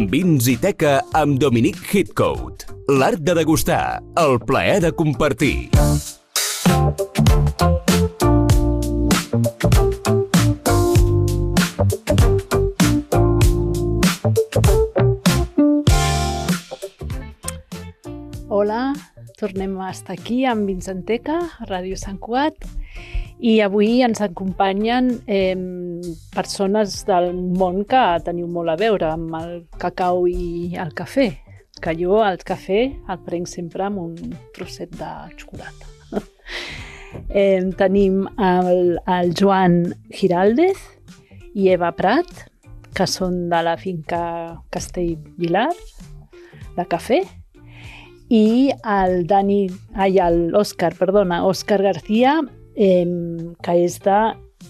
Vins i Teca amb Dominic Heathcote. L'art de degustar, el plaer de compartir. Hola, tornem a estar aquí amb Vins i Teca, a Ràdio Sant Cugat, i avui ens acompanyen persones del món que teniu molt a veure amb el cacau i el cafè, que jo el cafè el prenc sempre amb un trosset de xocolata. Tenim el Joan Giraldez i Eva Prat, que són de la finca Castellvilar, de cafè, i Òscar García, que és de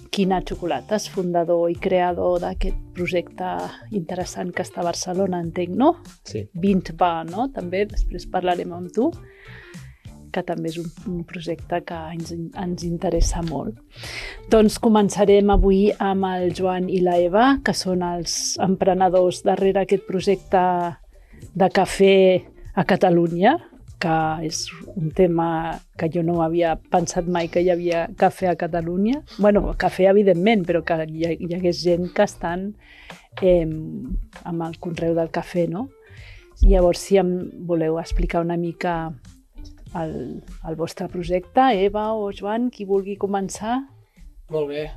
Quina Xocolates, fundador i creador d'aquest projecte interessant que està a Barcelona, entenc, no? Sí. 20 va, no? També, després parlarem amb tu, que també és un projecte que ens interessa molt. Doncs començarem avui amb el Joan i la Eva, que són els emprenedors darrere aquest projecte de cafè a Catalunya, que és un tema que jo no havia pensat mai que hi havia cafè a Catalunya. Bueno, cafè evidentment, però que hi hagués gent que estan amb el conreu del cafè, no? Llavors, si em voleu explicar una mica el vostre projecte, Eva o Joan, qui vulgui començar. Molt bé.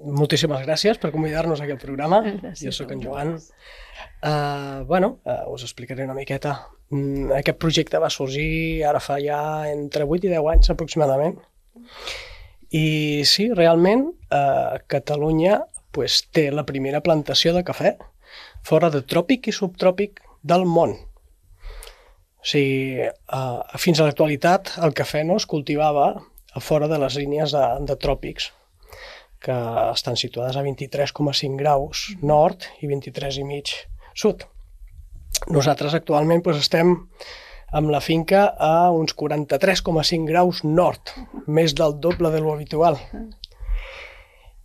Moltíssimes gràcies per convidar-nos a aquest programa. Gràcies. Jo sóc en Joan. Us explicaré una miqueta. Aquest projecte va sorgir ara fa ja entre 8 i 10 anys aproximadament. I sí, realment, Catalunya té la primera plantació de cafè fora de tròpic i subtròpic del món. O sigui, fins a l'actualitat el cafè no es cultivava a fora de les línies de tròpics, que estan situades a 23,5 graus nord i 23,5 sud. Nosaltres actualment estem amb la finca a uns 43,5 graus nord, més del doble de lo habitual.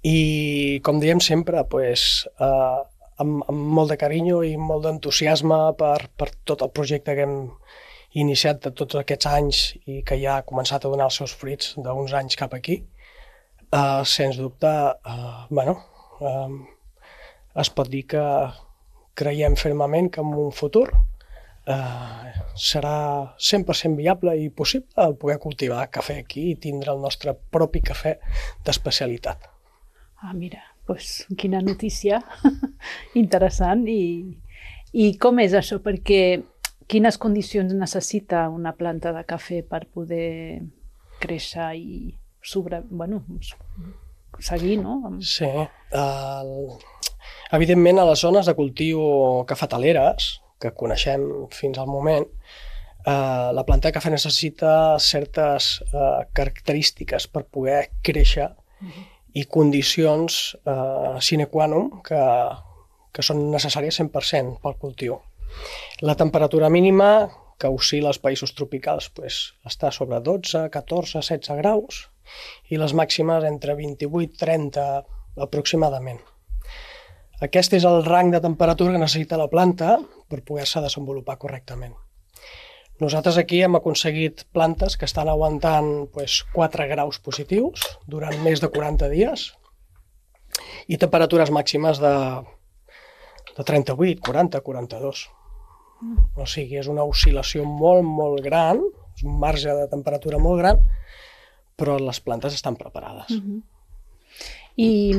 I com diem sempre, amb molt de carinyo i molt d'entusiasme per tot el projecte que hem iniciat de tots aquests anys i que ja ha començat a donar els seus fruits d'uns anys cap aquí, sens dubte, es pot dir que creiem fermament que en un futur serà 100% viable i possible poder cultivar cafè aquí i tindre el nostre propi cafè d'especialitat. Mira, doncs quina notícia interessant. I com és això? Perquè quines condicions necessita una planta de cafè per poder créixer i seguir, no? Sí. Evidentment, a les zones de cultiu cafetaleres, que coneixem fins al moment, la planta de cafè necessita certes característiques per poder créixer i condicions sine qua non que són necessàries 100% pel cultiu. La temperatura mínima, que oscil·la als països tropicals, està sobre 12, 14, 16 graus i les màximes entre 28 i 30 aproximadament. Aquest és el rang de temperatura que necessita la planta per poder-se desenvolupar correctament. Nosaltres aquí hem aconseguit plantes que estan aguantant 4 graus positius durant més de 40 dies i temperatures màximes de 38, 40, 42. O sigui, és una oscil·lació molt, molt gran, és un marge de temperatura molt gran, però les plantes estan preparades. I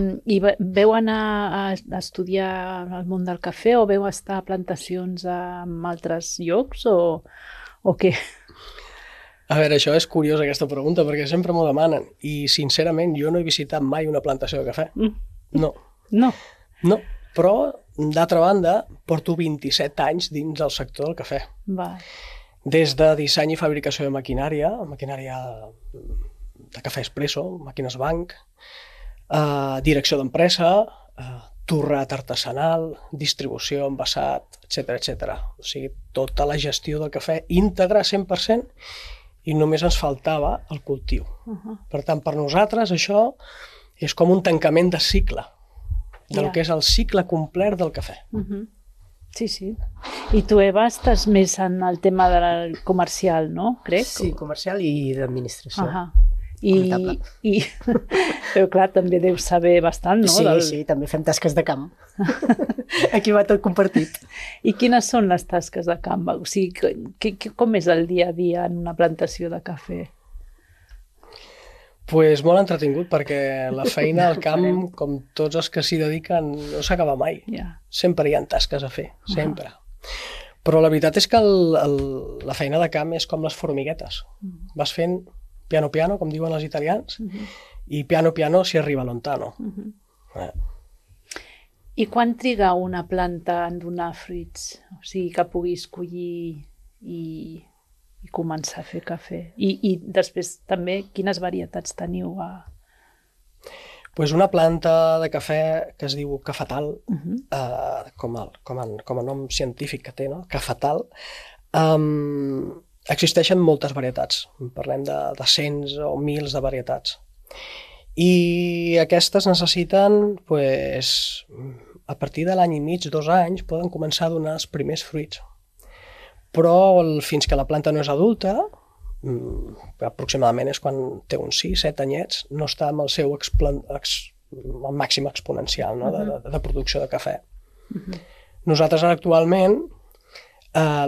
veu anar a estudiar el món del cafè o veu estar a plantacions en altres llocs o què? A veure, això és curiós aquesta pregunta perquè sempre m'ho demanen i sincerament jo no he visitat mai una plantació de cafè. No. No, però d'altra banda porto 27 anys dins del sector del cafè. Des de disseny i fabricació de maquinària de cafè expresso, màquines banc, direcció d'empresa, torrat artesanal, distribució, envasat, etc. O sigui, tota la gestió del cafè íntegra 100% i només ens faltava el cultiu. Per tant, per nosaltres això és com un tancament de cicle, del que és el cicle complet del cafè. Sí, sí. I tu, Eva, estàs més en el tema del comercial, no? Crec? Sí, comercial i d'administració. Comptable. Però clar, també deus saber bastant, no? Sí, també fem tasques de camp. Aquí va tot compartit. I quines són les tasques de camp? O sigui, com és el dia a dia en una plantació de cafè? Pues molt entretingut, perquè la feina al camp, com tots els que s'hi dediquen, no s'acaba mai. Sempre hi ha tasques a fer, sempre. Però la veritat és que la feina de camp és com les formiguetes. Vas fent piano piano, com diuen els italians, i piano piano si arriba lontano. I quan triga una planta en donar fruits? O sigui, que puguis collir i començar a fer cafè. I després també, quines varietats teniu? Pues una planta de cafè que es diu cafetal, com a nom científic que té, no? Cafetal. Existeixen moltes varietats. Parlem de cents o mils de varietats. I aquestes necessiten, pues, a partir de l'any i mig, 2 anys, poden començar a donar els primers fruits. Però fins que la planta no és adulta, aproximadament és quan té uns 6-7 anyets, no està amb el seu màxim exponencial, no? de producció de cafè. Nosaltres actualment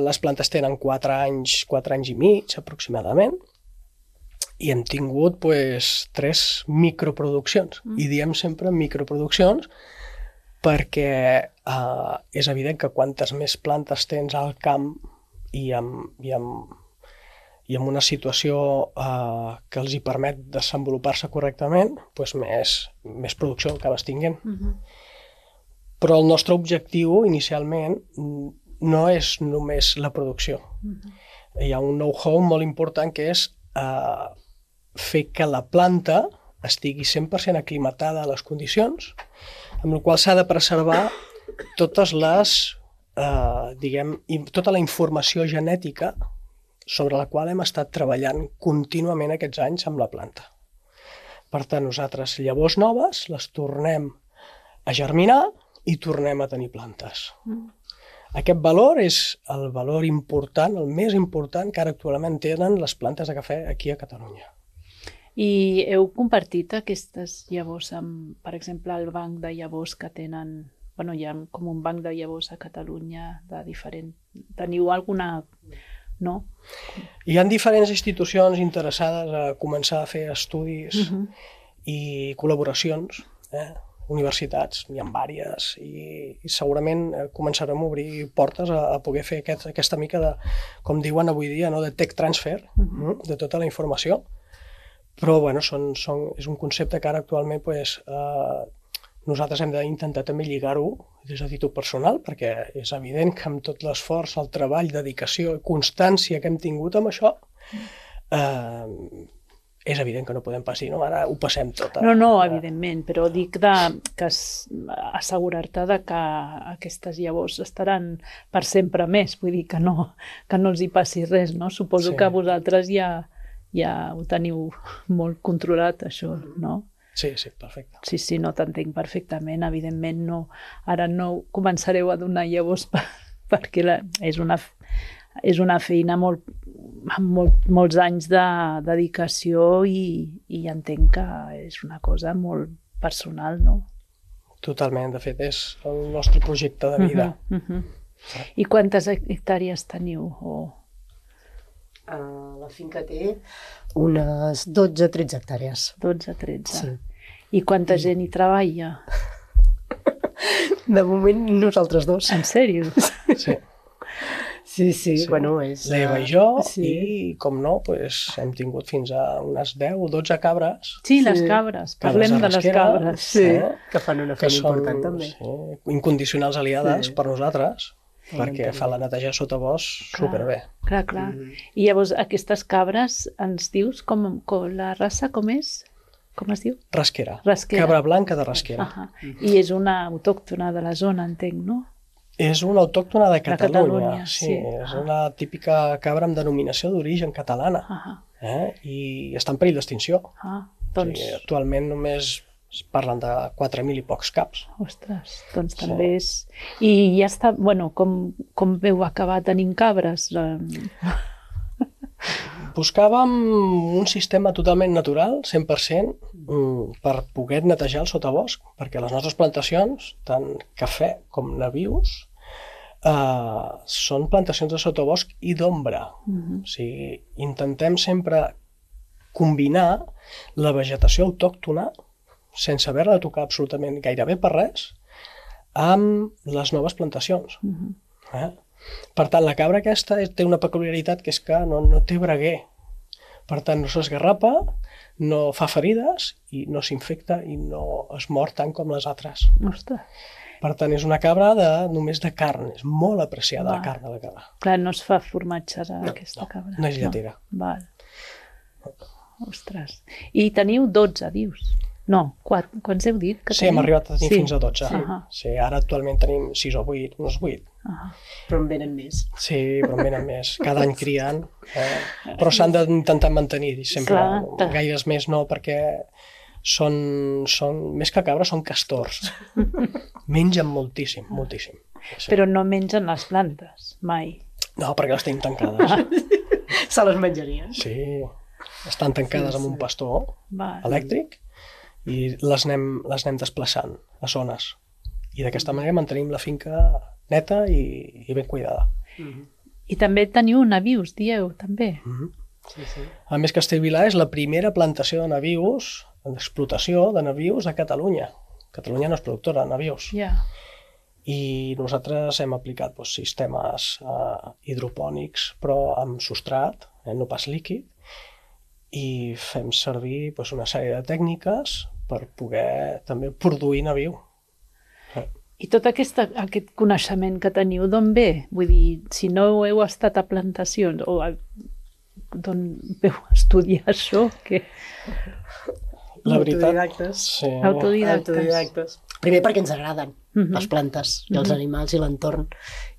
les plantes tenen 4 anys i mig aproximadament, i hem tingut 3 microproduccions. I diem sempre microproduccions perquè és evident que quantes més plantes tens al camp i amb una situació que els hi permet desenvolupar-se correctament, més producció acabes tinguent. Però el nostre objectiu inicialment no és només la producció. Hi ha un know-how molt important que és fer que la planta estigui 100% aclimatada a les condicions, amb la qual s'ha de preservar totes les tota la informació genètica sobre la qual hem estat treballant contínuament aquests anys amb la planta. Per tant, nosaltres llavors noves les tornem a germinar i tornem a tenir plantes. Aquest valor és el valor important, el més important que ara actualment tenen les plantes de cafè aquí a Catalunya. I heu compartit aquestes llavors amb, per exemple, el banc de llavors que tenen. Bueno, hi ha com un banc de llavors a Catalunya de diferent. Teniu alguna... no? Hi ha diferents institucions interessades a començar a fer estudis i col·laboracions, universitats, n'hi ha diverses, i segurament començarem a obrir portes a poder fer aquesta mica de, com diuen avui dia, de tech transfer, de tota la informació. Però bueno, és un concepte que ara actualment nosaltres hem d'intentar també lligar-ho des de títol personal, perquè és evident que amb tot l'esforç, el treball, dedicació i constància que hem tingut amb això, és evident que no podem pas dir, no, ara ho passem tot. No, evidentment, però dic que assegurar-te que aquestes llavors estaran per sempre més, vull dir que no els hi passi res, no? Suposo que vosaltres ja ho teniu molt controlat, això, no? Sí, perfecte. Sí, no t'entenc perfectament. Evidentment, ara no començareu a donar llavors perquè és una feina amb molts anys de dedicació i entenc que és una cosa molt personal, no? Totalment, de fet, és el nostre projecte de vida. I quantes hectàrees teniu? La finca té unes 12-13 hectàrees. 12-13. Sí. I quanta gent hi treballa? De moment nosaltres 2. En sèrio? Sí, bueno, és... L'Eva i jo, i com no, hem tingut fins a unes 10 o 12 cabres. Sí, les cabres, parlem de les cabres. Sí, que fan una feina important també. Incondicionals aliades per nosaltres, perquè fa la neteja sota bosc superbé. Clar. I llavors aquestes cabres ens dius la raça com és? Com es diu? Rasquera. Cabra blanca de Rasquera. I és una autòctona de la zona, entenc, no? És una autòctona de Catalunya. Sí, és una típica cabra amb denominació d'origen catalana. I està en perill d'extinció. Actualment només Es parlen de 4.000 i pocs caps. Ostres, doncs també és... I ja està, bueno, com veu acabar tenint cabres? Buscàvem un sistema totalment natural, 100%, per poder netejar el sotabosc, perquè les nostres plantacions, tant cafè com nabius, són plantacions de sotabosc i d'ombra. O sigui, intentem sempre combinar la vegetació autòctona, sense haver-la de tocar absolutament gairebé per res, amb les noves plantacions. Per tant, la cabra aquesta té una peculiaritat que és que no té braguer. Per tant, no s'esgarrapa, no fa ferides i no s'infecta i no es mor tant com les altres. Ostres. Per tant, és una cabra només de carn. És molt apreciada la carn de la cabra. Clar, no es fa formatge d'aquesta cabra. No és lletera. Val. Ostres. I teniu 12, dius? No, quants heu dit que teniu? Sí, hem arribat a tenir fins a 12. Sí, ara actualment tenim 6 o 8, uns 8. Però en venen més. Sí, però en venen més. Cada any crien. Però s'han d'intentar mantenir sempre. Gaires més no, perquè són més que cabres, són castors. Mengen moltíssim, moltíssim. Sí. Però no mengen les plantes, mai. No, perquè les tenim tancades. Se les menjarien. Sí, estan tancades amb un pastor elèctric i les anem desplaçant a zones. I d'aquesta manera mantenim la finca neta i ben cuidada. I també teniu nabius, dieu, també. A més, Castellvilà és la primera plantació de nabius, d'explotació de nabius a Catalunya. Catalunya no és productora de nabius. I nosaltres hem aplicat sistemes hidropònics, però amb substrat, no pas líquid, i fem servir una sèrie de tècniques per poder també produir nabiu. I tot aquest coneixement que teniu, d'on ve? Vull dir, si no heu estat a plantacions, o d'on veu estudiar això? La veritat... Autodidactes. Sí. Autodidactes. Primer perquè ens agraden les plantes i els animals i l'entorn.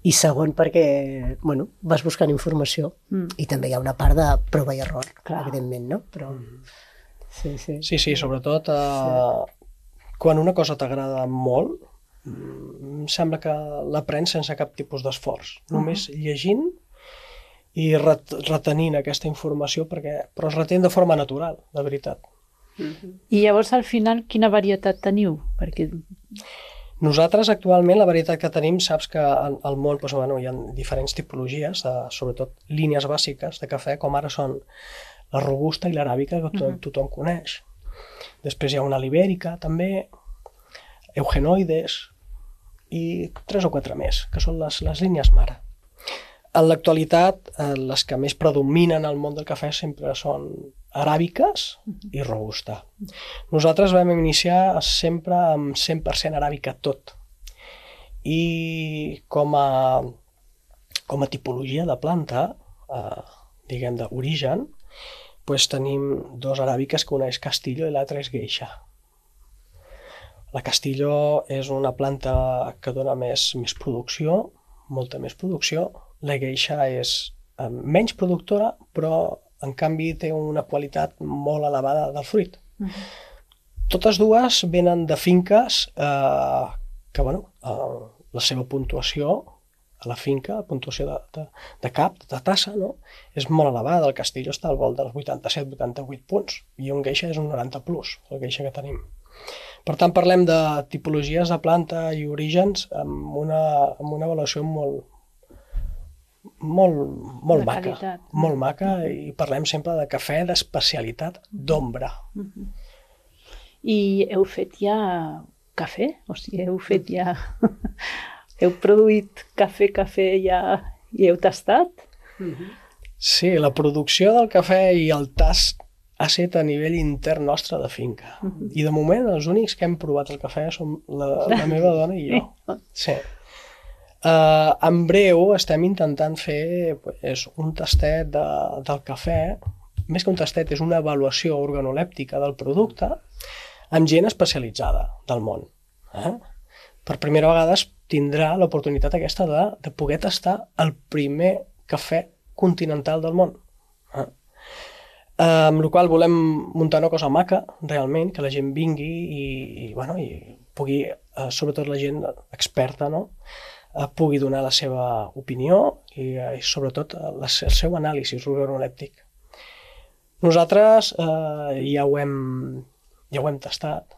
I segon perquè, bueno, vas buscant informació. I també hi ha una part de prova i error, evidentment, no? Però... Sí, sobretot quan una cosa t'agrada molt, em sembla que l'aprens sense cap tipus d'esforç. Només llegint i retenint aquesta informació, però es retén de forma natural, de veritat. I llavors, al final, quina varietat teniu? Perquè... Nosaltres, actualment, la varietat que tenim, saps que al món hi ha diferents tipologies, sobretot línies bàsiques de cafè, com ara són la robusta i l'aràbica, que tothom coneix. Després hi ha una libèrica, també, eugenoides, i 3 o 4 més, que són les línies mare. En l'actualitat, les que més predominen al món del cafè sempre són aràbiques i robusta. Nosaltres vam iniciar sempre amb 100% aràbica tot. I com a tipologia de planta, diguem d'origen, tenim 2 aràbiques, que una és Castillo i l'altra és Geisha. La Castillo és una planta que dona més producció, molta més producció. La Geisha és menys productora, però en canvi té una qualitat molt elevada del fruit. Totes dues venen de finques que, la seva puntuació a la finca, la puntuació de cap, de tassa, és molt elevada. El Castillo està al volt dels 87-88 punts i un Geisha és un 90 plus, el Geisha que tenim. Per tant, parlem de tipologies de planta i orígens amb una avaluació molt maca, i parlem sempre de cafè d'especialitat d'ombra. I heu fet ja cafè? O sigui, heu fet ja... Heu produït cafè ja i heu tastat? Sí, la producció del cafè i el tast ha estat a nivell intern nostre de finca. I de moment els únics que hem provat el cafè som la meva dona i jo. Sí. En breu estem intentant fer un tastet del cafè, més que un tastet, és una avaluació organolèptica del producte amb gent especialitzada del món. Per primera vegada tindrà l'oportunitat aquesta de poder tastar el primer cafè continental del món. amb la qual volem muntar una cosa maca, realment, que la gent vingui i pugui, sobretot la gent experta, no? Pugui donar la seva opinió i sobretot el seu anàlisi organolèptic. Nosaltres ja ho hem tastat,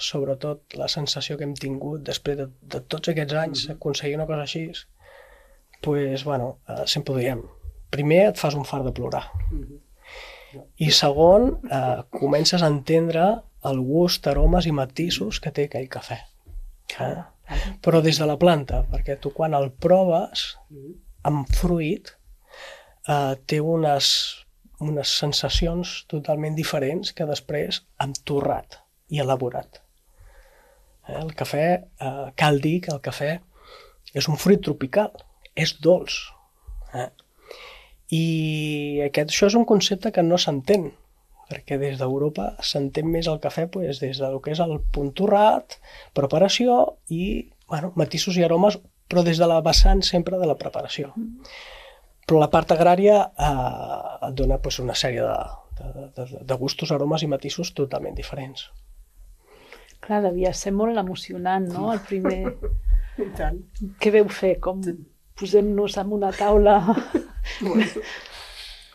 sobretot la sensació que hem tingut després de tots aquests anys aconseguir una cosa així, doncs, sempre ho diem. Primer et fas un fart de plorar. I segon, comences a entendre el gust, aromes i matisos que té aquell cafè. Però des de la planta, perquè tu quan el proves amb fruit té unes sensacions totalment diferents que després amb torrat i elaborat. El cafè, cal dir que el cafè és un fruit tropical, és dolç. I això és un concepte que no s'entén, perquè des d'Europa s'entén més el cafè des del que és el punt torrat, preparació i matisos i aromes, però des de la vessant sempre de la preparació. Però la part agrària et dona una sèrie de gustos, aromes i matisos totalment diferents. Clar, devia ser molt emocionant, no? El primer... I tant. Què veu fer? Com posem-nos en una taula...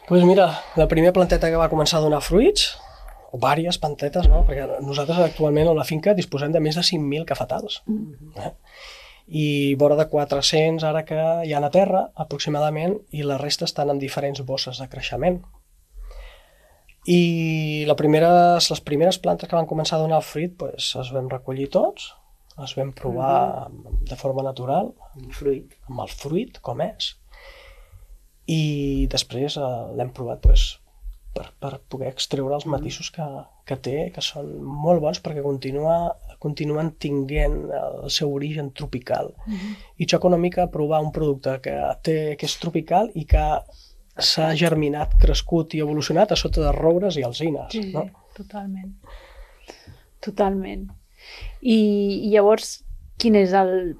Doncs mira, la primera planteta que va començar a donar fruits, o diverses plantetes, no? Perquè nosaltres actualment a la finca disposem de més de 5.000 cafetals. I vora de 400 ara que hi ha a terra, aproximadament, i la resta estan en diferents bosses de creixement. I les primeres plantes que van començar a donar el fruit es vam recollir tots, es vam provar de forma natural, amb el fruit, com és, i després l'hem provat per poder extreure els matisos que té, que són molt bons perquè continuen tinguent el seu origen tropical. I xoca una mica provar un producte que és tropical i que s'ha germinat, crescut i evolucionat a sota de roures i alzines. Sí, totalment. Totalment. I llavors, quin és el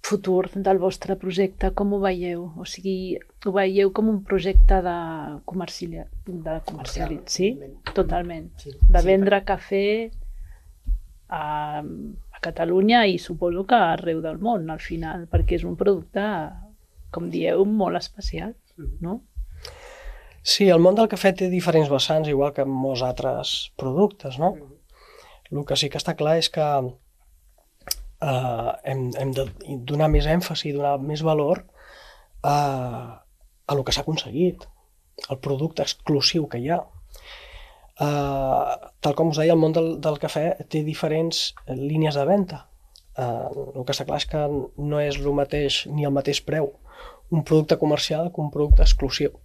futur del vostre projecte? Com ho veieu? O sigui, ho veieu com un projecte de comercialitzar, sí? Totalment. De vendre cafè a Catalunya i suposo que arreu del món, al final, perquè és un producte, com dieu, molt especial, no? Sí, el món del cafè té diferents vessants, igual que molts altres productes, no? El que sí que està clar és que hem de donar més èmfasi, donar més valor a el que s'ha aconseguit, el producte exclusiu que hi ha. Tal com us deia, el món del cafè té diferents línies de venda. El que està clar és que no és el mateix ni el mateix preu un producte comercial que un producte exclusiu.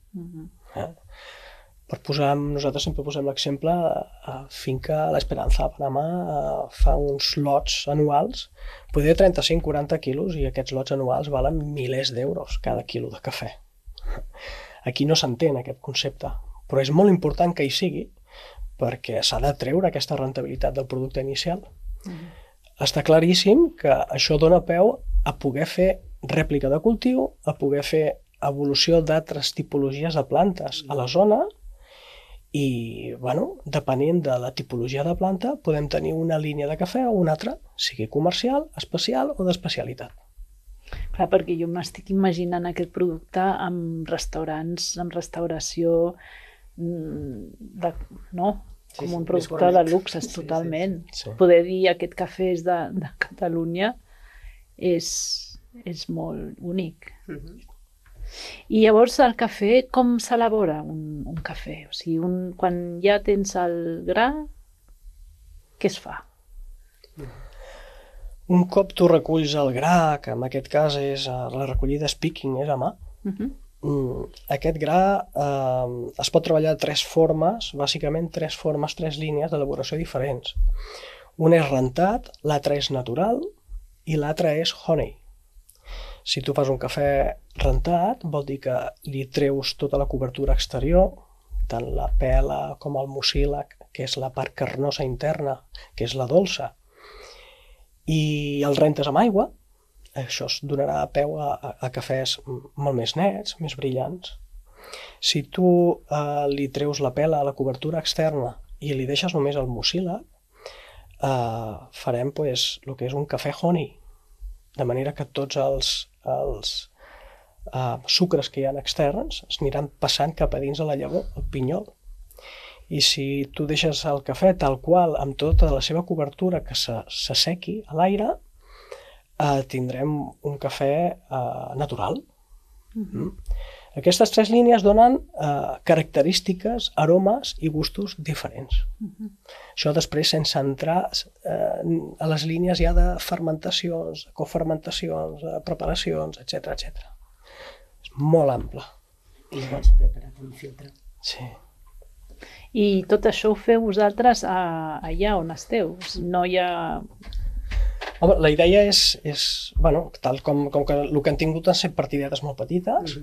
Nosaltres sempre posem l'exemple, finca l'Esperanza a Panamà fa uns lots anuals, poder 35-40 quilos, i aquests lots anuals valen milers d'euros cada quilo de cafè. Aquí no s'entén aquest concepte, però és molt important que hi sigui, perquè s'ha de treure aquesta rendibilitat del producte inicial. Està claríssim que això dona peu a poder fer rèplica de cultiu, a poder fer evolució d'altres tipologies de plantes a la zona i, depenent de la tipologia de planta, podem tenir una línia de cafè o una altra, sigui comercial, especial o d'especialitat. Clar, perquè jo m'estic imaginant aquest producte amb restaurants, amb restauració, no? Com un producte de luxe, totalment. Poder dir aquest cafè és de Catalunya és molt únic. I llavors el cafè, com s'elabora un cafè? O sigui, quan ja tens el gra, què es fa? Un cop tu reculls el gra, que en aquest cas la recollida és picking, és a mà, aquest gra es pot treballar de tres formes, bàsicament tres línies d'elaboració diferents. Un és rentat, l'altre és natural i l'altre és honey. Si tu fas un cafè rentat, vol dir que li treus tota la cobertura exterior, tant la pela com el mucílag, que és la part carnosa interna, que és la dolça, i el rentes amb aigua. Això es donarà peu a cafès molt més nets, més brillants. Si tu li treus la pela a la cobertura externa i li deixes només el mucílag, farem el que és un cafè honey, de manera que tots els sucres que hi ha externs es aniran passant cap a dins de la llavor, el pinyol. I si tu deixes el cafè tal qual, amb tota la seva cobertura que s'assequi a l'aire, tindrem un cafè natural. Aquestes 3 línies donen característiques, aromes i gustos diferents. Això després sense entrar a les línies ja de fermentacions, cofermentacions, preparacions, etc. És molt ample. I llavors preparat un filtre. Sí. I tot això ho feu vosaltres allà on esteu? No hi ha... Home, la idea és tal com que el que han tingut han set partidetes molt petites,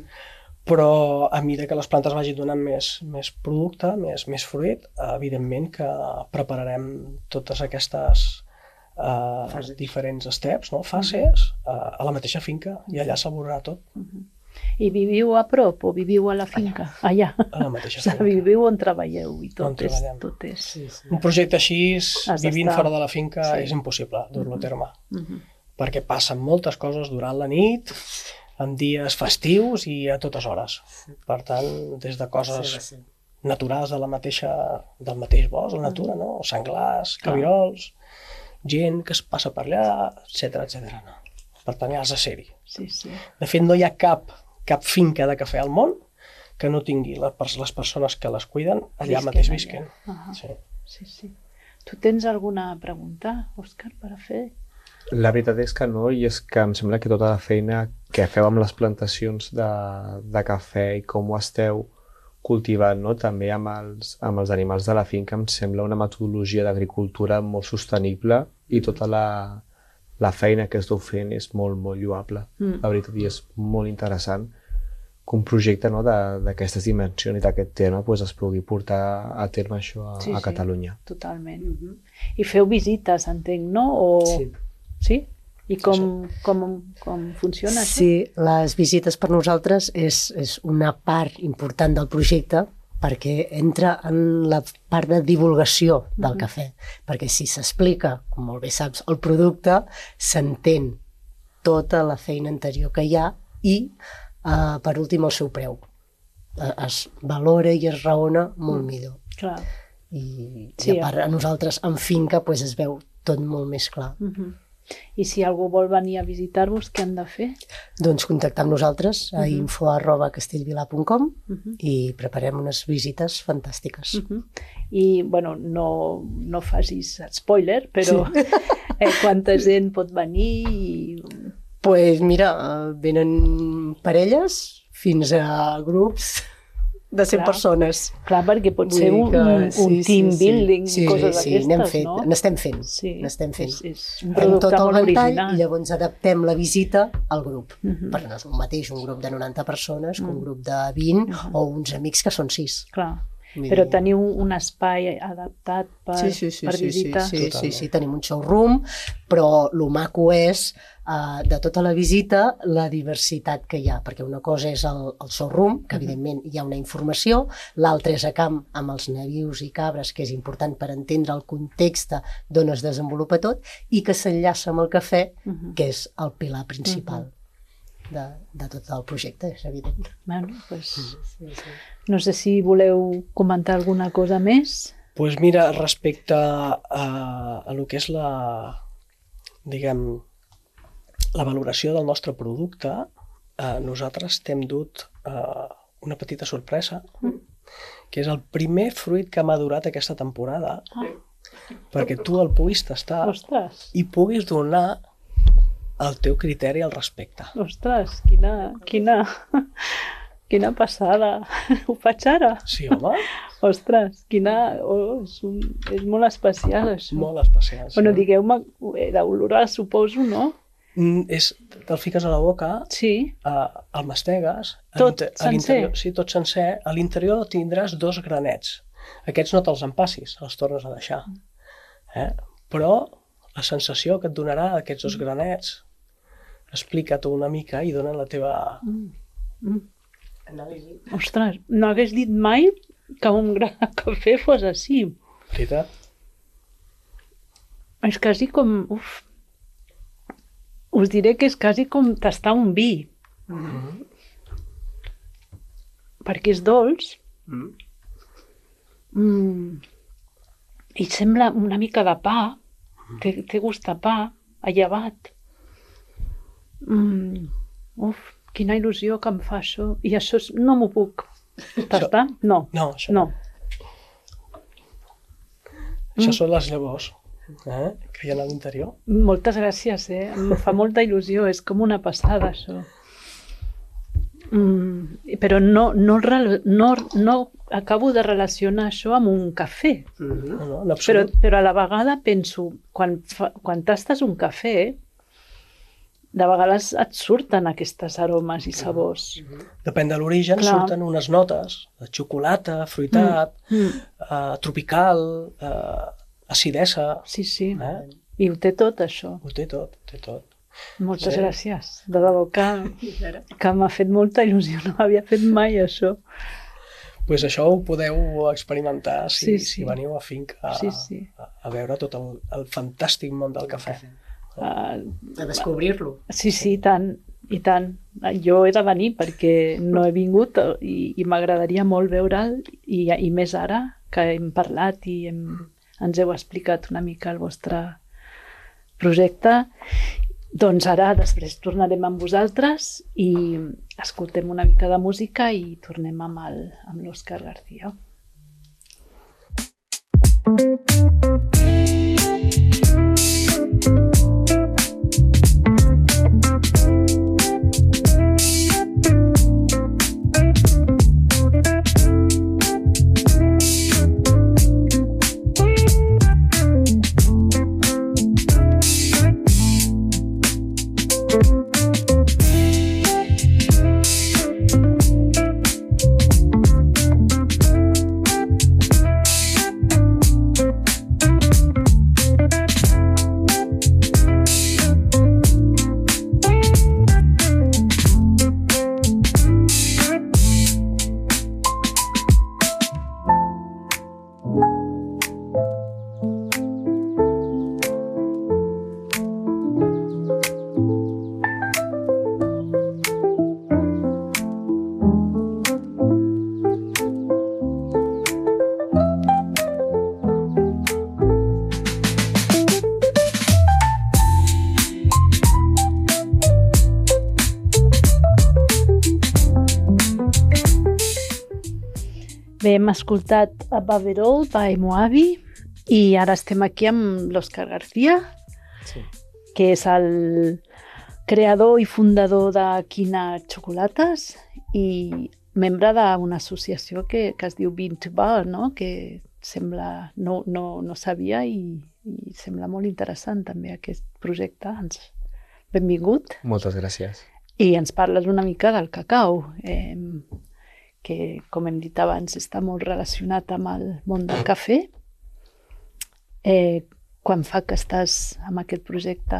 però a mesura que les plantes vagin donant més producte, més fruit, evidentment que prepararem totes aquestes diferents steps, fases, a la mateixa finca, i allà s'elaborarà tot. I viviu a prop o viviu a la finca? Allà. A la mateixa finca. Viviu on treballeu i tot és... Un projecte així, vivint fora de la finca, és impossible dur-lo a terme, perquè passen moltes coses durant la nit, en dies festius i a totes hores. Per tant, des de coses naturals del mateix bosc, la natura, senglars, cabirols, gent que es passa per allà, etc. Per tant, ja has de ser-hi. De fet, no hi ha cap finca de cafè al món que no tingui les persones que les cuiden allà mateix visquen. Sí. Tu tens alguna pregunta, Òscar, per a fer? La veritat és que no, i és que em sembla que tota la feina que feu amb les plantacions de cafè i com ho esteu cultivant, també amb els animals de la finca, em sembla una metodologia d'agricultura molt sostenible i tota la feina que esteu fent és molt, molt lloable. La veritat, i és molt interessant que un projecte d'aquestes dimensions i d'aquest tema es pugui portar a terme això a Catalunya. Totalment. I feu visites, entenc, no? Sí? I com funciona això? Sí, les visites per nosaltres és una part important del projecte, perquè entra en la part de divulgació del cafè. Perquè si s'explica, com molt bé saps, el producte, s'entén tota la feina anterior que hi ha i, per últim, el seu preu. Es valora i es raona molt millor. Clar. I a part, a nosaltres, en finca, es veu tot molt més clar. I si algú vol venir a visitar-vos, què han de fer? Doncs contactar amb nosaltres a info@castellvilà.com i preparem unes visites fantàstiques. I, no facis spoiler, però quanta gent pot venir? Doncs mira, venen parelles fins a grups de 100 persones. Clar, perquè pot ser un team building, coses d'aquestes, no? N'estem fent. És un producte molt original. I llavors adaptem la visita al grup. Perquè no és el mateix un grup de 90 persones que un grup de 20 o uns amics que són 6. Clar. Però teniu un espai adaptat per visitar? Sí, tenim un showroom, però el maco és de tota la visita la diversitat que hi ha, perquè una cosa és el showroom, que evidentment hi ha una informació, l'altra és a camp amb els nabius i cabres, que és important per entendre el context d'on es desenvolupa tot, i que s'enllaça amb el cafè, que és el pilar principal de tot el projecte, és evident. No sé si voleu comentar alguna cosa més. Doncs mira, respecte a lo que és la valoració del nostre producte, nosaltres t'hem dut una petita sorpresa, que és el primer fruit que ha madurat aquesta temporada, perquè tu el puguis tastar i puguis donar el teu criteri al respecte. Ostres, quina passada. Ho faig ara? Sí, home. Ostres, és molt especial, això. Molt especial, sí. Bueno, digueu-me, era olorós, suposo, no? Te'l fiques a la boca, el mastegues. Tot sencer? Sí, tot sencer. A l'interior tindràs 2 granets. Aquests no te'ls empassis, els tornes a deixar. Però la sensació que et donarà aquests 2 granets, explica-t'ho una mica i dona la teva... Anàlisi. Ostres, no hagués dit mai que un gra de cafè fos així. Veritat? És quasi com... Uf. Us diré que és quasi com tastar un vi. Perquè és dolç. I sembla una mica de pa. Té gust de pa, allevat. Uf, quina il·lusió que em fa això. I això no m'ho puc tastar? No. No, això no. Això són les llavors que hi ha a l'interior. Moltes gràcies, em fa molta il·lusió, és com una passada, això. Però no acabo de relacionar això amb un cafè. No, en absolut. Però a la vegada penso, quan tastes un cafè, de vegades et surten aquestes aromes i sabors. Depèn de l'origen, Clar. surten unes notes de xocolata, fruitat, tropical, acidesa. Sí, sí. I ho té tot, això. Ho té tot, ho té tot. Moltes Sí. gràcies. De debò que m'ha fet molta il·lusió. No havia fet mai això. Pues això ho podeu experimentar si veniu a Finca a veure tot el fantàstic món del cafè. A descobrir-lo. Sí, i tant. Jo he de venir perquè no he vingut i m'agradaria molt veure'l i més ara que hem parlat i ens heu explicat una mica el vostre projecte. Doncs ara després tornarem amb vosaltres i escoltem una mica de música i tornem amb l'Òscar García. Bé, hem escoltat a Baverol by Moabi i ara estem aquí amb l'Òscar García, que és el creador i fundador de Quina Xocolates i membre d'una associació que es diu Bean to Bar, no? Que sembla, no sabia i sembla molt interessant també aquest projecte. Benvingut. Moltes gràcies. I ens parles una mica del cacau, que, com hem dit abans, està molt relacionat amb el món del cafè. Quan fa que estàs amb aquest projecte?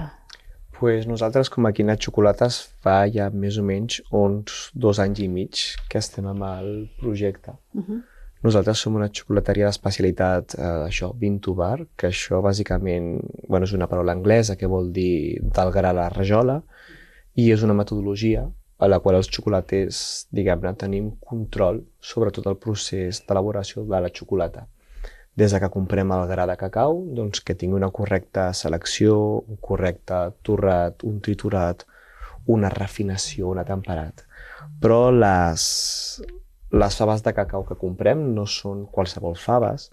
Pues nosaltres, com a Quina Xocolates, fa ja més o menys uns 2 anys i mig que estem amb el projecte. Nosaltres som una xocolateria d'especialitat, Bean to Bar, que això bàsicament és una paraula anglesa que vol dir del gra a la rajola, i és una metodologia a la qual els xocolaters, diguem-ne, tenim control sobre tot el procés d'elaboració de la xocolata. Des que comprem el gra de cacau, doncs que tingui una correcta selecció, un correcte torrat, un triturat, una refinació, un atemperat. Però les faves de cacau que comprem no són qualsevol faves,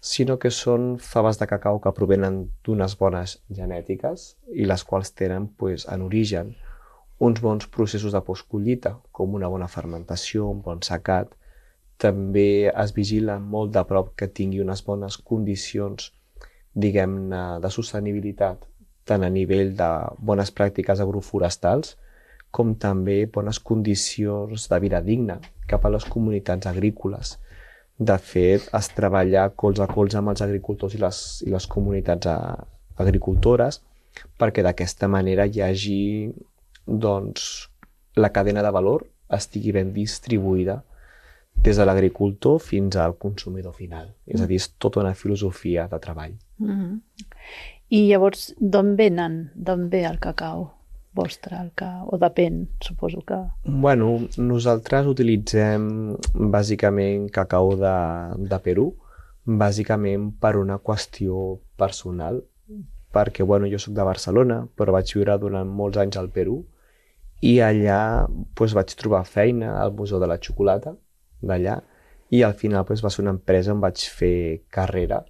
sinó que són faves de cacau que provenen d'unes bones genètiques i les quals tenen en origen uns bons processos de postcollita, com una bona fermentació, un bon secat. També es vigila molt de prop que tingui unes bones condicions, diguem-ne, de sostenibilitat, tant a nivell de bones pràctiques agroforestals, com també bones condicions de vida digna cap a les comunitats agrícoles. De fet, es treballa colze a colze amb els agricultors i les comunitats agricultores perquè d'aquesta manera hi hagi la cadena de valor estigui ben distribuïda des de l'agricultor fins al consumidor final. És a dir, és tota una filosofia de treball. I llavors, d'on ve el cacau vostre? O depèn, suposo que... Bueno, nosaltres utilitzem bàsicament cacau de Perú, bàsicament per una qüestió personal, perquè jo soc de Barcelona, però vaig viure durant molts anys al Perú i allà vaig trobar feina al Museu de la Xocolata d'allà i al final va ser una empresa on vaig fer carrera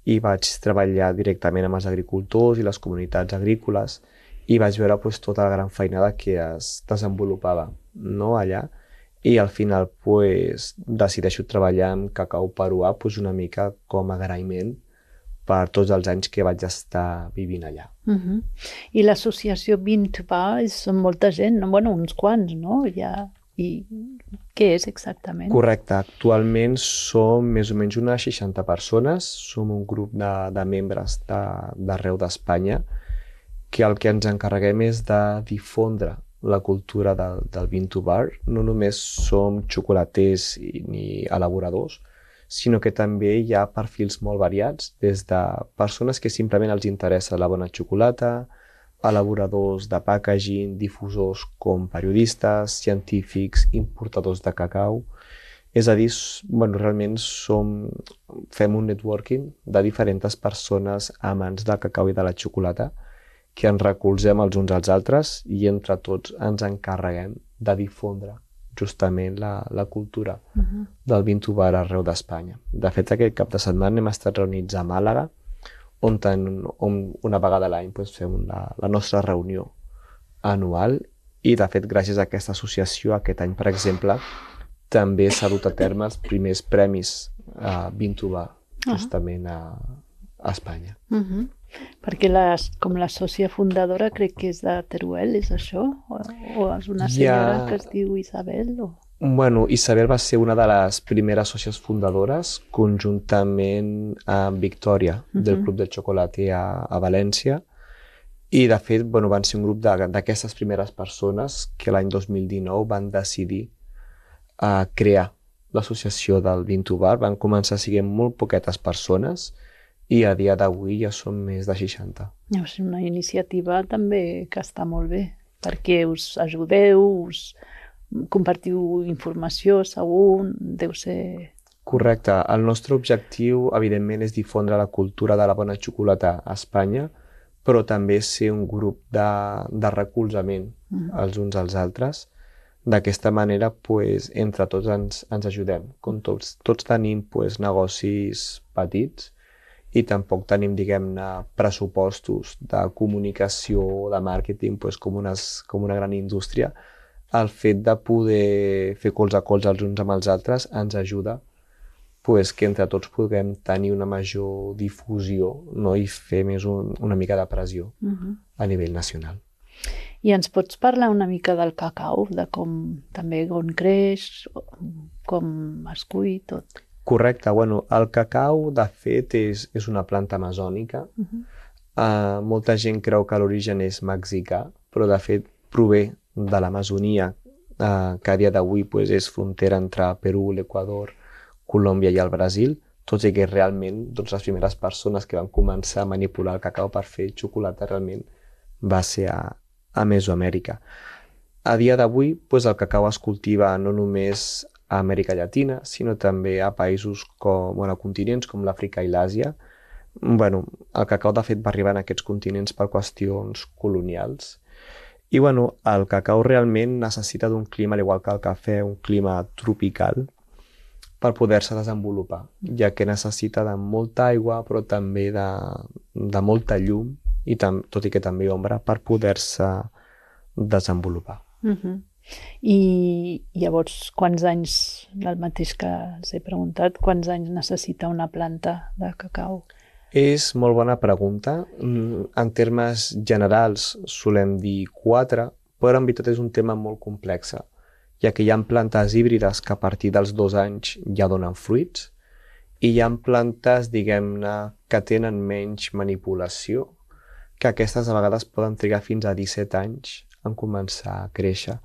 i vaig treballar directament amb els agricultors i les comunitats agrícoles i vaig veure tota la gran feinada que es desenvolupava allà i al final decideixo treballar amb cacau peruà una mica com a agraïment per tots els anys que vaig estar vivint allà. I l'associació Bean2Bar són molta gent, uns quants, no? I què és exactament? Correcte. Actualment som més o menys unes 60 persones. Som un grup de membres d'arreu d'Espanya que el que ens encarreguem és de difondre la cultura del Bean2Bar. No només som xocolaters ni elaboradors, sinó que també hi ha perfils molt variats, des de persones que simplement els interessa la bona xocolata, elaboradors de packaging, difusors com periodistes, científics, importadors de cacau. És a dir, realment fem un networking de diferents persones amants del cacau i de la xocolata que ens recolzem els uns als altres i entre tots ens encarreguem de difondre justament la cultura del Bean2Bar arreu d'Espanya. De fet, aquest cap de setmana hem estat reunits a Màlaga, on una vegada a l'any fem la nostra reunió anual i, de fet, gràcies a aquesta associació, aquest any, per exemple, també s'ha dut a terme els primers premis Bean2Bar, justament a Espanya. Perquè com la sòcia fundadora crec que és de Teruel, és això? O és una senyora que es diu Isabel? Isabel va ser una de les primeres sòcies fundadores, conjuntament amb Victòria, del Club de Chocolate a València. I, de fet, van ser un grup d'aquestes primeres persones que l'any 2019 van decidir crear l'associació del Bean2Bar. Van començar sent molt poquetes persones i a dia d'avui ja són més de 60. És una iniciativa també que està molt bé, perquè us ajudeu, compartiu informació, segur, deu ser... Correcte. El nostre objectiu, evidentment, és difondre la cultura de la bona xocolata a Espanya, però també ser un grup de recolzament els uns als altres. D'aquesta manera, entre tots ens ajudem. Com tots tenim negocis petits i tampoc tenim, diguem-ne, pressupostos de comunicació o de màrqueting com una gran indústria. El fet de poder fer colze a colze els uns amb els altres ens ajuda que entre tots puguem tenir una major difusió i fer més una mica de pressió a nivell nacional. I ens pots parlar una mica del cacau, de com també on creix, com es cull, tot? Correcte. El cacau, de fet, és una planta amazònica. Molta gent creu que l'origen és mexicà, però de fet prové de l'Amazonia, que a dia d'avui és frontera entre Perú, l'Equador, Colòmbia i el Brasil, tot i que realment les primeres persones que van començar a manipular el cacau per fer xocolata realment va ser a Mesoamèrica. A dia d'avui el cacau es cultiva no només a Amèrica Llatina, sinó també a països a continents com l'Àfrica i l'Àsia. El cacau, de fet, va arribar en aquests continents per qüestions colonials. I el cacau realment necessita d'un clima, al igual que el cafè, un clima tropical, per poder-se desenvolupar, ja que necessita de molta aigua, però també de molta llum, i tot i que també ombra, per poder-se desenvolupar. I llavors, quants anys, el mateix que els he preguntat, quants anys necessita una planta de cacau? És molt bona pregunta. En termes generals solem dir 4, però en veritat és un tema molt complex, ja que hi ha plantes híbrides que a partir dels 2 anys ja donen fruits i hi ha plantes, diguem-ne, que tenen menys manipulació, que aquestes a vegades poden trigar fins a 17 anys en començar a créixer.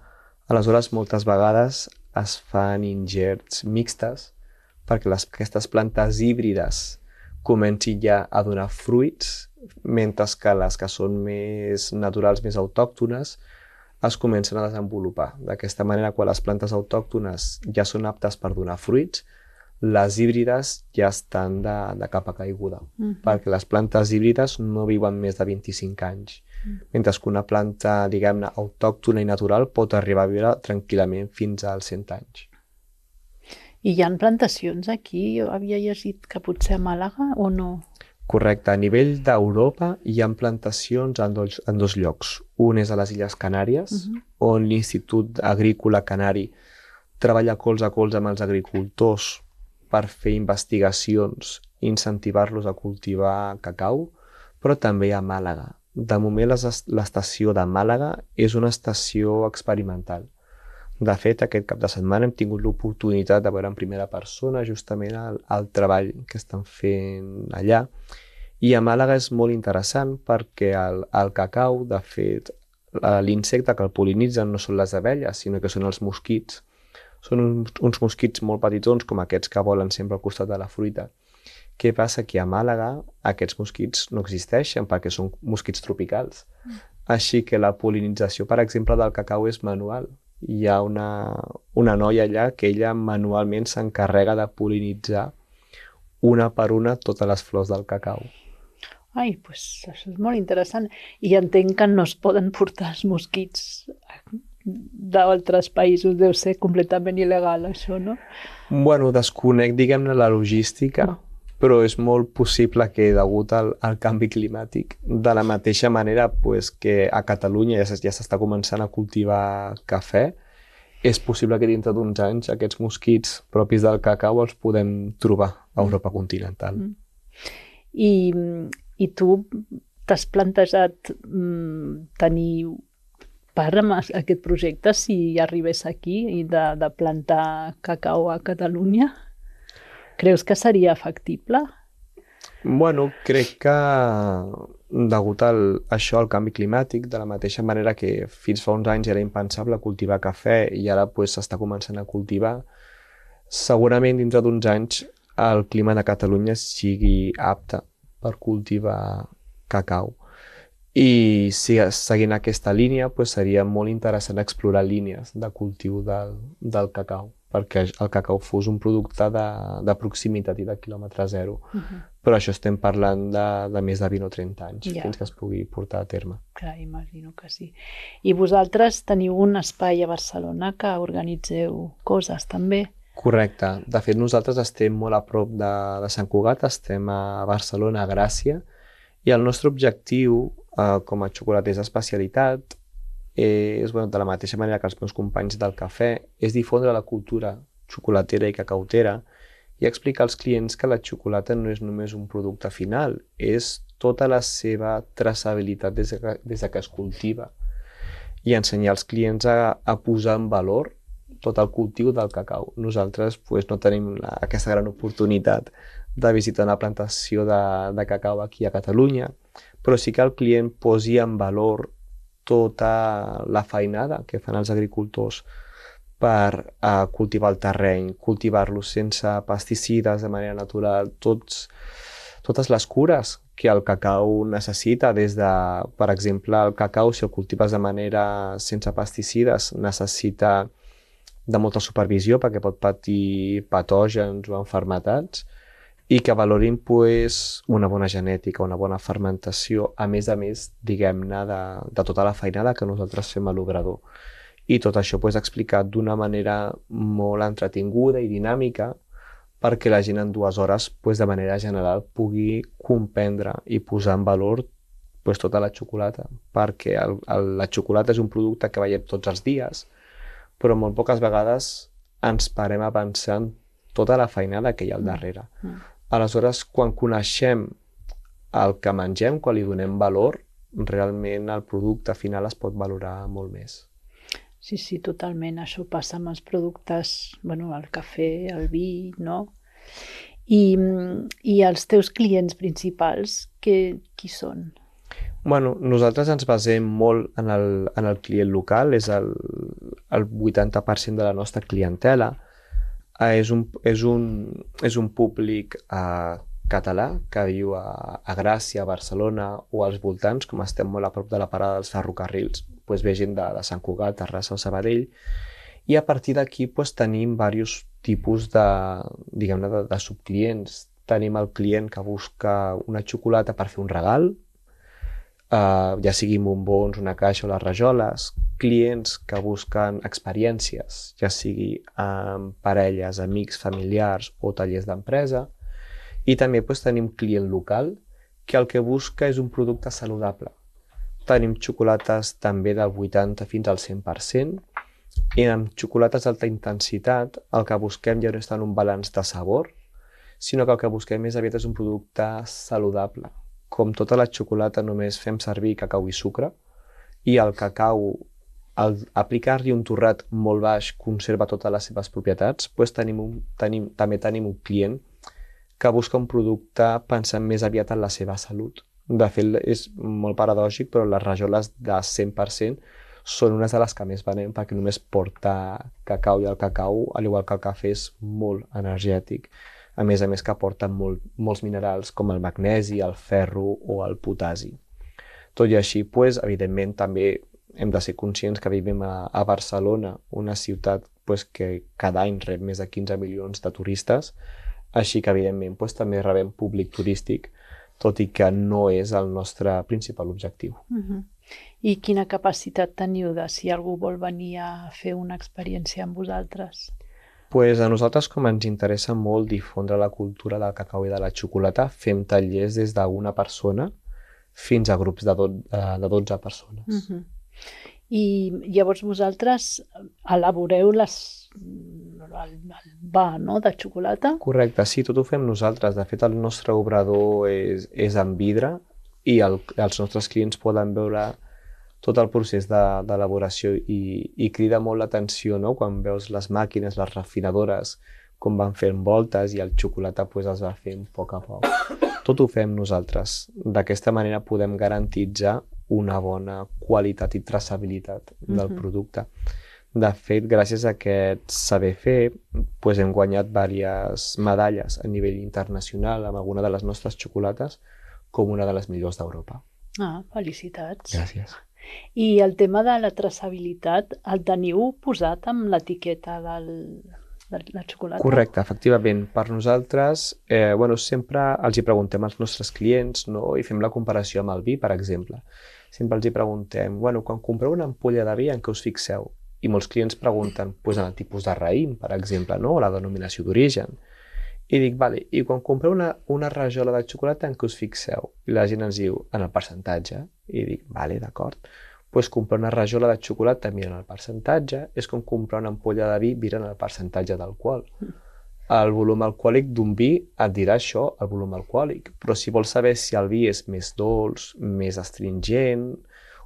Aleshores, moltes vegades es fan ingerts mixtes perquè aquestes plantes híbrides comencin ja a donar fruits, mentre que les que són més naturals, més autòctones, es comencen a desenvolupar. D'aquesta manera, quan les plantes autòctones ja són aptes per donar fruits, les híbrides ja estan de capa caiguda, perquè les plantes híbrides no viuen més de 25 anys, mentre que una planta, diguem-ne, autòctona i natural pot arribar a viure tranquil·lament fins als 100 anys. I hi ha plantacions aquí? Jo havia llegit que potser a Màlaga o no? Correcte. A nivell d'Europa hi ha plantacions en dos llocs. Un és a les Illes Canàries, on l'Institut Agrícola Canari treballa colze a colze amb els agricultors per fer investigacions i incentivar-los a cultivar cacau, però també a Màlaga. De moment, l'estació de Màlaga és una estació experimental. De fet, aquest cap de setmana hem tingut l'oportunitat de veure en primera persona justament el treball que estan fent allà. I a Màlaga és molt interessant perquè el cacau, de fet, l'insecte que el pol·linitzen no són les abelles, sinó que són els mosquits. Són uns mosquits molt petitons, com aquests que volen sempre al costat de la fruita. Què passa? Que a Màlaga aquests mosquits no existeixen perquè són mosquits tropicals. Així que la pol·linització, per exemple, del cacau és manual. Hi ha una noia allà que ella manualment s'encarrega de pol·linitzar una per una totes les flors del cacau. Ai, doncs això és molt interessant. I entenc que no es poden portar els mosquits d'altres països. Deu ser completament il·legal, això, no? Bueno, desconec, diguem-ne, la logística, però és molt possible que, degut al canvi climàtic, de la mateixa manera que a Catalunya ja s'està començant a cultivar cafè, és possible que dintre d'uns anys aquests mosquits propis del cacau els podem trobar a Europa continental. I tu t'has plantejat tenir part amb aquest projecte si arribés aquí i de plantar cacau a Catalunya? Creus que seria factible? Bueno, crec que degut a això, al canvi climàtic, de la mateixa manera que fins fa uns anys era impensable cultivar cafè i ara s'està començant a cultivar, segurament dintre d'uns anys el clima de Catalunya sigui apte per cultivar cacau. I seguint aquesta línia seria molt interessant explorar línies de cultiu del cacau, perquè el cacau fos un producte de proximitat i de quilòmetre zero. Però això estem parlant de més de 20 o 30 anys fins que es pugui portar a terme. Clar, imagino que sí. I vosaltres teniu un espai a Barcelona que organitzeu coses també? Correcte. De fet, nosaltres estem molt a prop de Sant Cugat, estem a Barcelona, a Gràcia, i el nostre objectiu com a xocolaters d'especialitat és, de la mateixa manera que els meus companys del cafè, és difondre la cultura xocolatera i cacautera i explicar als clients que la xocolata no és només un producte final, és tota la seva traçabilitat des que es cultiva i ensenyar als clients a posar en valor tot el cultiu del cacau. Nosaltres no tenim aquesta gran oportunitat de visitar una plantació de cacau aquí a Catalunya, però sí que el client posi en valor tota la feinada que fan els agricultors per cultivar el terreny, cultivar-lo sense pesticides, de manera natural, totes les cures que el cacau necessita, des de, per exemple, el cacau, si el cultives de manera sense pesticides, necessita de molta supervisió perquè pot patir patògens o malalties, i que valorin una bona genètica, una bona fermentació, a més, diguem-ne, de tota la feinada que nosaltres fem a l'obrador. I tot això explicat d'una manera molt entretinguda i dinàmica perquè la gent en 2 hores, de manera general, pugui comprendre i posar en valor tota la xocolata, perquè la xocolata és un producte que veiem tots els dies, però molt poques vegades ens parem a pensar en tota la feinada que hi ha al darrere. Aleshores, quan coneixem el que mengem, quan li donem valor, realment el producte final es pot valorar molt més. Sí, totalment. Això passa amb els productes, el cafè, el vi, no? I els teus clients principals, qui són? Nosaltres ens basem molt en el client local, és el 80% de la nostra clientela és un públic català que viu a Gràcia, a Barcelona o als voltants, com estem molt a prop de la parada dels ferrocarrils, doncs ve gent de Sant Cugat, Terrassa o Sabadell, i a partir d'aquí tenim diversos tipus de subclients. Tenim el client que busca una xocolata per fer un regal, ja siguin bombons, una caixa o les rajoles, clients que busquen experiències, ja sigui amb parelles, amics, familiars o tallers d'empresa, i també tenim client local que el que busca és un producte saludable. Tenim xocolates també del 80 fins al 100%, i amb xocolates d'alta intensitat el que busquem ja no és tant un balanç de sabor, sinó que el que busquem més aviat és un producte saludable. Com tota la xocolata només fem servir cacau i sucre, i el cacau, al aplicar-li un torrat molt baix, conserva totes les seves propietats, doncs també tenim un client que busca un producte pensant més aviat en la seva salut. De fet, és molt paradògic, però les rajoles de 100% són unes de les que més venem perquè només porta cacau, i el cacau, al igual que el cafè, és molt energètic. A més que porten molts minerals com el magnesi, el ferro o el potasi. Tot i així, evidentment, també hem de ser conscients que vivim a Barcelona, una ciutat que cada any rep més de 15 milions de turistes, així que, evidentment, també rebem públic turístic, tot i que no és el nostre principal objectiu. I quina capacitat teniu de si algú vol venir a fer una experiència amb vosaltres? A nosaltres, com ens interessa molt difondre la cultura del cacau i de la xocolata, fem tallers des d'una persona fins a grups de 12 persones. I llavors vosaltres elaboreu el va, no?, de xocolata? Correcte, sí, tot ho fem nosaltres. De fet, el nostre obrador és en vidre i els nostres clients poden veure tot el procés d'elaboració i crida molt l'atenció, no?, quan veus les màquines, les refinadores, com van fent voltes i el xocolata es va fent a poc. Tot ho fem nosaltres. D'aquesta manera podem garantitzar una bona qualitat i traçabilitat del producte. De fet, gràcies a aquest saber fer, hem guanyat diverses medalles a nivell internacional amb alguna de les nostres xocolates com una de les millors d'Europa. Felicitats. Gràcies. I el tema de la traçabilitat el teniu posat amb l'etiqueta de la xocolata? Correcte, efectivament. Per nosaltres, sempre els hi preguntem als nostres clients, no?, i fem la comparació amb el vi, per exemple. Sempre els hi preguntem, quan compreu una ampolla de vi, en què us fixeu? I molts clients pregunten en el tipus de raïm, per exemple, no?, o la denominació d'origen. I dic, vale, i quan compreu una rajola de xocolata, en què us fixeu? I la gent ens diu, en el percentatge. I dic, vale, d'acord. Comprar una rajola de xocolata mirant el percentatge és com comprar una ampolla de vi mirant el percentatge d'alcohol. El volum alcohòlic d'un vi et dirà això, el volum alcohòlic, però si vols saber si el vi és més dolç, més astringent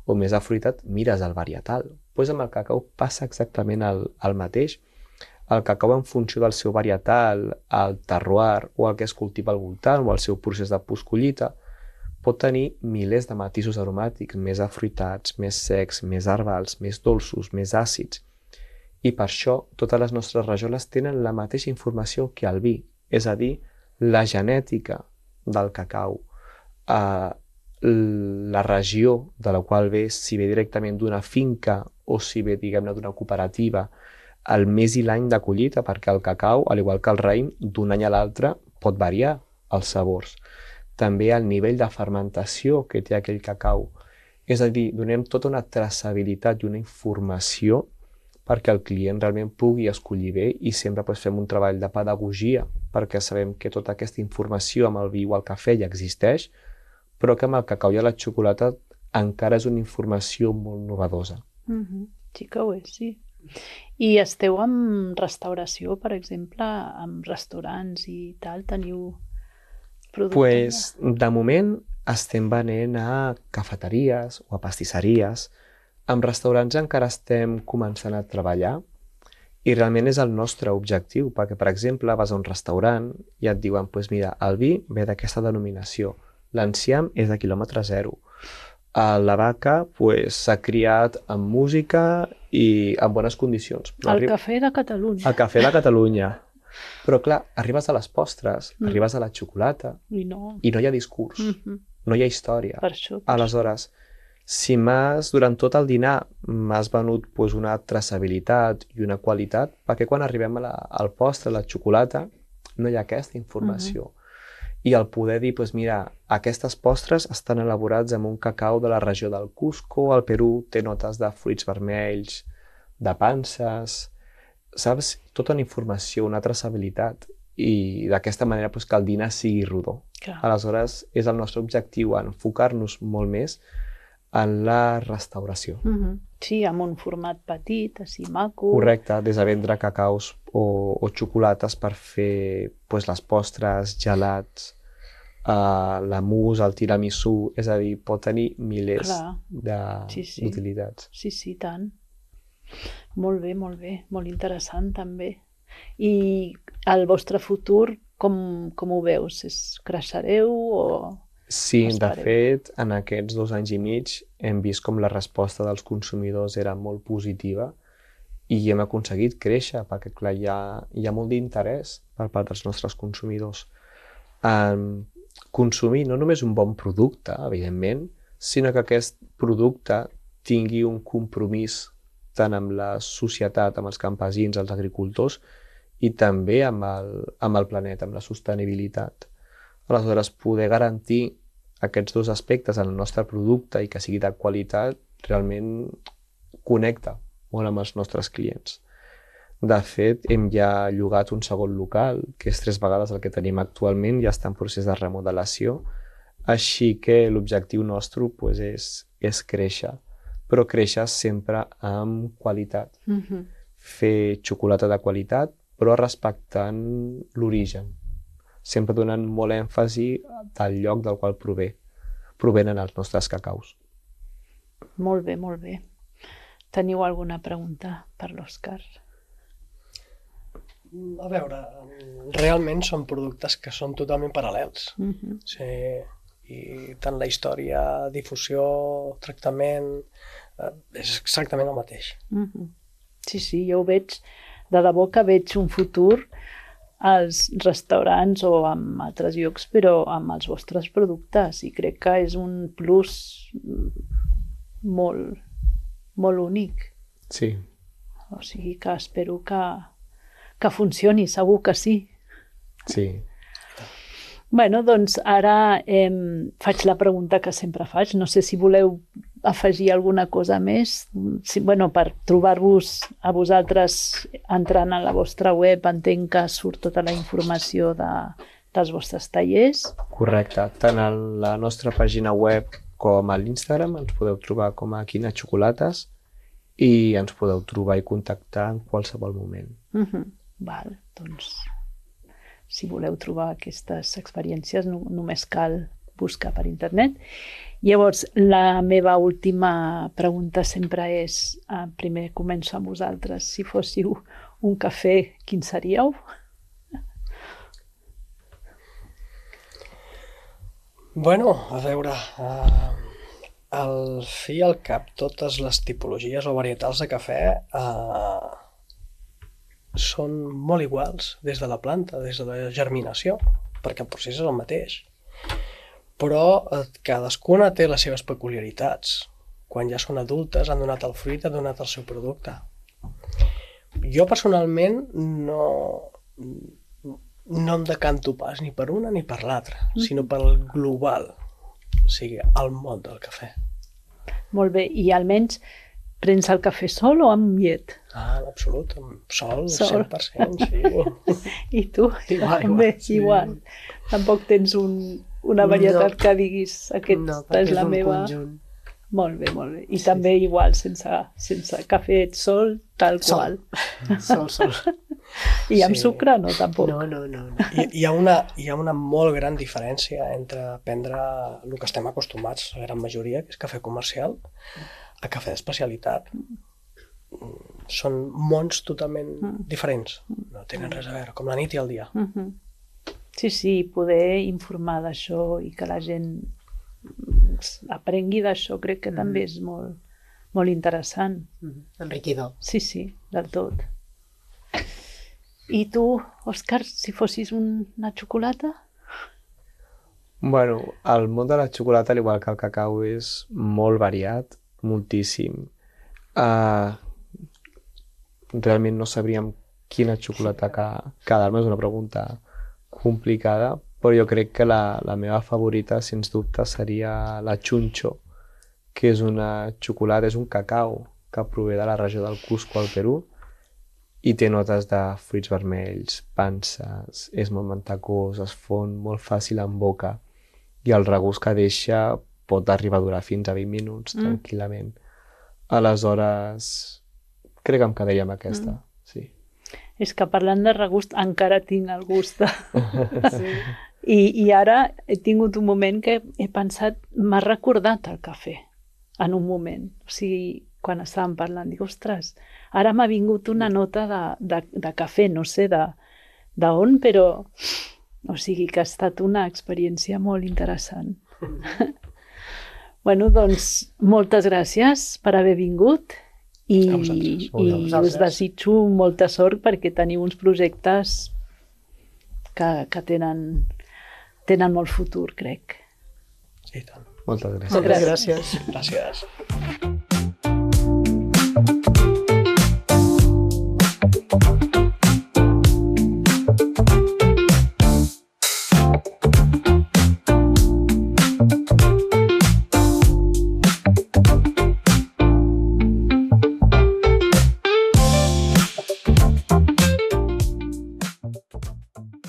o més afruitat, mires el varietal. Amb el cacau passa exactament el mateix. El cacau, en funció del seu varietal, el terroir o el que es cultiva al voltant o el seu procés de postcollita, pot tenir milers de matisos aromàtics, més afruitats, més secs, més herbals, més dolços, més àcids. I per això totes les nostres rajoles tenen la mateixa informació que el vi, és a dir, la genètica del cacau, la regió de la qual ve, si ve directament d'una finca o si ve, diguem-ne, d'una cooperativa, el mes i l'any de collita, perquè el cacau, al igual que el raïm, d'un any a l'altre pot variar els sabors. També el nivell de fermentació que té aquell cacau. És a dir, donem tota una traçabilitat i una informació perquè el client realment pugui escollir bé, i sempre fem un treball de pedagogia perquè sabem que tota aquesta informació amb el vi o el cafè ja existeix, però que amb el cacau i la xocolata encara és una informació molt novedosa. Sí que ho és, sí. I esteu amb restauració, per exemple, amb restaurants i tal? Teniu productes? De moment estem venent a cafeteries o a pastisseries. Amb restaurants encara estem començant a treballar i realment és el nostre objectiu, perquè, per exemple, vas a un restaurant i et diuen, mira, el vi ve d'aquesta denominació, l'enciam és de quilòmetre zero, la vaca s'ha criat amb música i en bones condicions. El cafè de Catalunya. El cafè de Catalunya. Però clar, arribes a les postres, arribes a la xocolata I no. i no hi ha discurs, no hi ha història. Per això. Aleshores, si durant tot el dinar m'has venut una traçabilitat i una qualitat, perquè quan arribem al postre, a la xocolata, no hi ha aquesta informació. I el poder dir, mira, aquestes postres estan elaborats amb un cacau de la regió del Cusco, al Perú té notes de fruits vermells, de panses, saps? Tota una informació, una traçabilitat, i d'aquesta manera que el dinar sigui rodó. Clar. Aleshores, és el nostre objectiu enfocar-nos molt més en la restauració. Sí, amb un format petit, així maco. Correcte, des de vendre cacaus o xocolates per fer les postres, gelats, la mousse, el tiramisú, és a dir, pot tenir milers d'utilitats. Sí, tant. Molt bé, molt interessant també. I el vostre futur, com ho veus? Creixereu o... Sí, de fet, en aquests 2 anys i mig hem vist com la resposta dels consumidors era molt positiva i hem aconseguit créixer, perquè clar, hi ha molt d'interès per part dels nostres consumidors en consumir no només un bon producte, evidentment, sinó que aquest producte tingui un compromís tant amb la societat, amb els campesins, els agricultors, i també amb el planeta, amb la sostenibilitat. Aleshores, poder garantir aquests 2 aspectes en el nostre producte i que sigui de qualitat realment connecta molt amb els nostres clients. De fet, hem ja llogat un segon local, que és 3 vegades el que tenim actualment, ja està en procés de remodelació, així que l'objectiu nostre és créixer, però créixer sempre amb qualitat. Fer xocolata de qualitat, però respectant l'origen, sempre donant molt èmfasi del lloc del qual provenen els nostres cacaus. Molt bé, molt bé. Teniu alguna pregunta per l'Òscar? A veure, realment són productes que són totalment paral·lels. Sí, i tant la història, difusió, tractament, és exactament el mateix. Sí, jo ho veig, de debò que veig un futur als restaurants o en altres llocs, però amb els vostres productes, i crec que és un plus molt, molt únic. Sí. O sigui que espero que funcioni, segur que sí. Sí. Bueno, doncs ara faig la pregunta que sempre faig. No sé si voleu afegir alguna cosa més. Per trobar-vos a vosaltres entrant a la vostra web, entenc que surt tota la informació dels vostres tallers. Correcte. Tant a la nostra pàgina web com a l'Instagram ens podeu trobar com a Quina Xocolates i ens podeu trobar i contactar en qualsevol moment. Val, doncs si voleu trobar aquestes experiències només cal buscar per internet. Llavors, la meva última pregunta sempre és, primer començo amb vosaltres, si fóssiu un cafè, quin seríeu? Bueno, a veure, al fi i al cap totes les tipologies o varietals de cafè són molt iguals des de la planta, des de la germinació, perquè el procés és el mateix. Però cadascuna té les seves peculiaritats. Quan ja són adultes, han donat el fruit, han donat el seu producte. Jo personalment no em decanto pas ni per una ni per l'altra, sinó pel global, o sigui, el món del cafè. Molt bé, i almenys prens el cafè sol o amb llet? En absolut, amb sol, 100%, sí. I tu? Igual. Tampoc tens una varietat que diguis aquesta és la meva... Molt bé. I també igual, sense cafè sol, tal qual. Sol. I amb sucre no, tampoc. No. Hi ha una molt gran diferència entre prendre el que estem acostumats, la gran majoria, que és cafè comercial, a cafè d'especialitat. Són mons totalment diferents. No tenen res a veure, com la nit i el dia. Sí, poder informar d'això i que la gent doncs aprengui d'això, crec que també és molt, molt interessant. Enriquidor. Sí, del tot. I tu, Òscar, si fossis una xocolata? Bueno, el món de la xocolata, al igual que el cacau, és molt variat, moltíssim. Realment no sabríem quina xocolata quedar-me, és una pregunta complicada, però jo crec que la meva favorita, sens dubte, seria la Chuncho, que és una xocolata, és un cacau que prové de la regió del Cusco, al Perú, i té notes de fruits vermells, panses, és molt mantecós, es fon molt fàcil en boca, i el regust que deixa pot arribar a durar fins a 20 minuts, tranquil·lament. Aleshores, crec que em quedaria amb aquesta, sí. És que parlant de regust encara tinc el gust de... I ara he tingut un moment que he pensat, m'ha recordat el cafè, en un moment. O sigui, quan estàvem parlant, dic, ostres, ara m'ha vingut una nota de cafè, no sé d'on, però... O sigui que ha estat una experiència molt interessant. Bueno, doncs, moltes gràcies per haver vingut i us desitjo molta sort perquè teniu uns projectes que tenen molt futur, crec. Sí, tant. Moltes gràcies. Moltes gràcies. Gràcies. Gràcies.